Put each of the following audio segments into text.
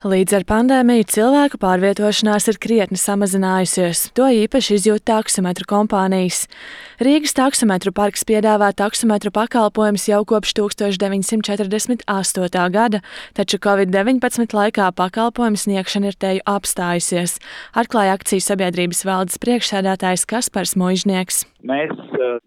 Līdz ar pandēmiju cilvēku pārvietošanās ir krietni samazinājusies. To īpaši izjūt taksometru kompānijas. Rīgas taksometru parks piedāvā taksometru pakalpojumus jau kopš 1948. gada, taču Covid-19 laikā pakalpojumu sniegšana ir teju apstājusies, atklāja akciju sabiedrības valdes priekšsēdētājs Kaspars Muižnieks. Mēs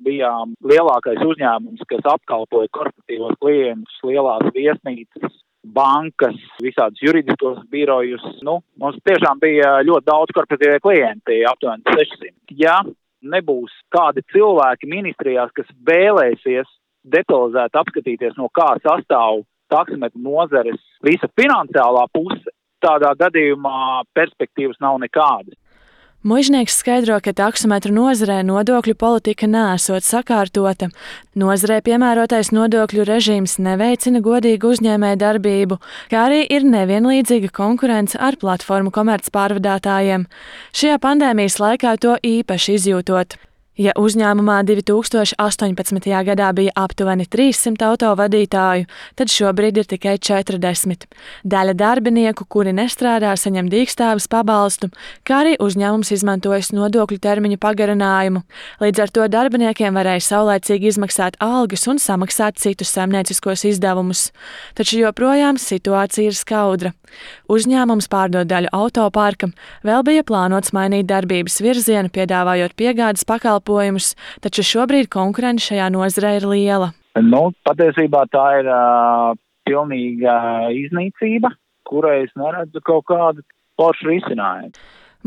bijām lielākais uzņēmums, kas apkalpoja korporatīvos klientus, lielās viesnīcas, bankas, visādus juridiskos birojus. Mums tiešām bija ļoti daudz korporatīvie klienti, aptuveni 600. Ja nebūs kādi cilvēki ministrijās, kas vēlēsies detalizēti apskatīties, no kā sastāv taksometru nozares visa finansiālā puse, tādā gadījumā perspektīvas nav nekādas. Muižnieks skaidro, ka taksometru nozarē nodokļu politika neesot sakārtota. Nozarē piemērotais nodokļu režīms neveicina godīgu uzņēmēju darbību, kā arī ir nevienlīdzīga konkurence ar platformu komercpārvadātājiem. Šajā pandēmijas laikā to īpaši izjūtot. Ja uzņēmumā 2018. gadā bija aptuveni 300 autovadītāju, tad šobrīd ir tikai 40. Daļa darbinieku, kuri nestrādā, saņem dīkstāves pabalstu, kā arī uzņēmums izmantojas nodokļu termiņu pagarinājumu. Līdz ar to darbiniekiem varēja saulaicīgi izmaksāt algas un samaksāt citus saimnieciskos izdevumus. Taču joprojām situācija ir skaudra. Uzņēmums pārdod daļu autoparka, vēl bija plānots mainīt darbības virzienu, piedāvājot piegādes pakalpojumus, taču šobrīd konkurence šajā nozarē ir liela. Patiesībā tā ir pilnīga iznīcība, kurai es neredzu kaut kādu foršu risinājumu.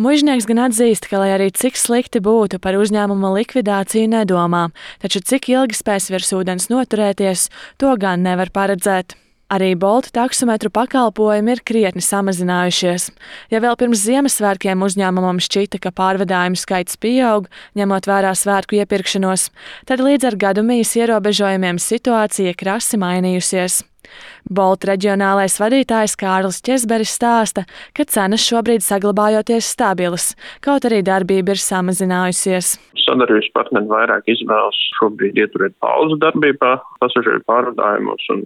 Muižnieks gan atzīst, ka, lai arī cik slikti būtu, par uzņēmuma likvidāciju nedomā, taču cik ilgi spēs virs ūdens noturēties, to gan nevar paredzēt. Arī Bolta taksometru pakalpojumi ir krietni samazinājušies. Ja vēl pirms Ziemassvētkiem uzņēmumam šķita, ka pārvadājumu skaits pieaug, ņemot vērā svētku iepirkšanos, tad līdz ar gadu mijas ierobežojumiem situācija krasi mainījusies. Bolta reģionālais vadītājs Kārlis Ķezberis stāsta, ka cenas šobrīd saglabājoties stabilas, kaut arī darbība ir samazinājusies. Sadarbības partneri vairāk izvēlas šobrīd ieturēt pauzu darbībā, pasažieru pārvadājumos un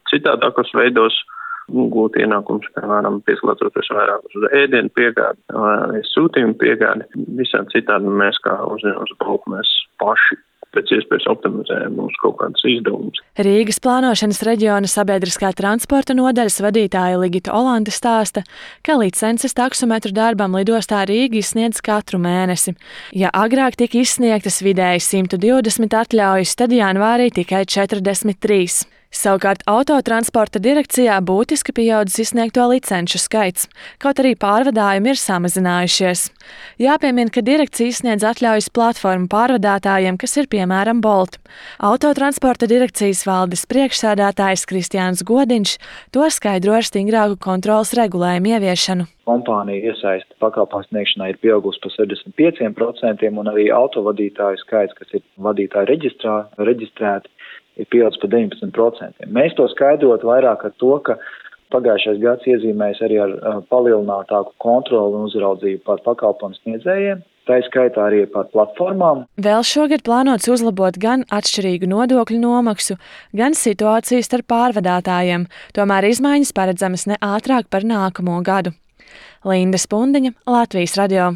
citādākos veidos gūt ienākumus, piemēram, pieslēdzoties vairāk uz ēdienu piegādi, sūtījumu piegādi. Visādi citādi mēs kā uzņēmums Bolta mēs paši pēc iespējas optimizējam mūsu kaut kādas izdevumus. Rīgas plānošanas reģiona sabiedriskā transporta nodaļas vadītāja Ligita Olante stāsta, ka licences taksometru darbam lidostā Rīga izsniedz katru mēnesi. Ja agrāk tika izsniegtas vidēji 120 atļaujas, tad janvārī tikai 43. Savukārt autotransporta direkcijā būtiski pieaudzis izsniegto licenču skaits, kaut arī pārvadājumi ir samazinājušies. Jāpiemina, ka direkcija izsniedz atļaujas platformu pārvadātājiem, kas ir piemēram Bolt. Autotransporta direkcijas valdes priekšsēdētājs Kristiāns Godiņš to skaidro ar stingrāku kontroles regulējumu ieviešanu. Kompānija iesaista pakalpojumu sniegšanā ir pieaugusi par 65% un arī autovadītāju skaits, kas ir vadītāju reģistrēti, ir pieaudzis par 19%. Mēs to skaidrot vairāk ar to, ka pagājušais gads iezīmējas arī ar palielinātāku kontroli un uzraudzību pār pakalpojumu sniedzējiem, tā skaitā arī pār platformām. Vēl šogad plānots uzlabot gan atšķirīgu nodokļu nomaksu, gan situāciju starp pārvadātājiem, tomēr izmaiņas paredzamas ne ātrāk par nākamo gadu. Linda Spundiņa, Latvijas radio.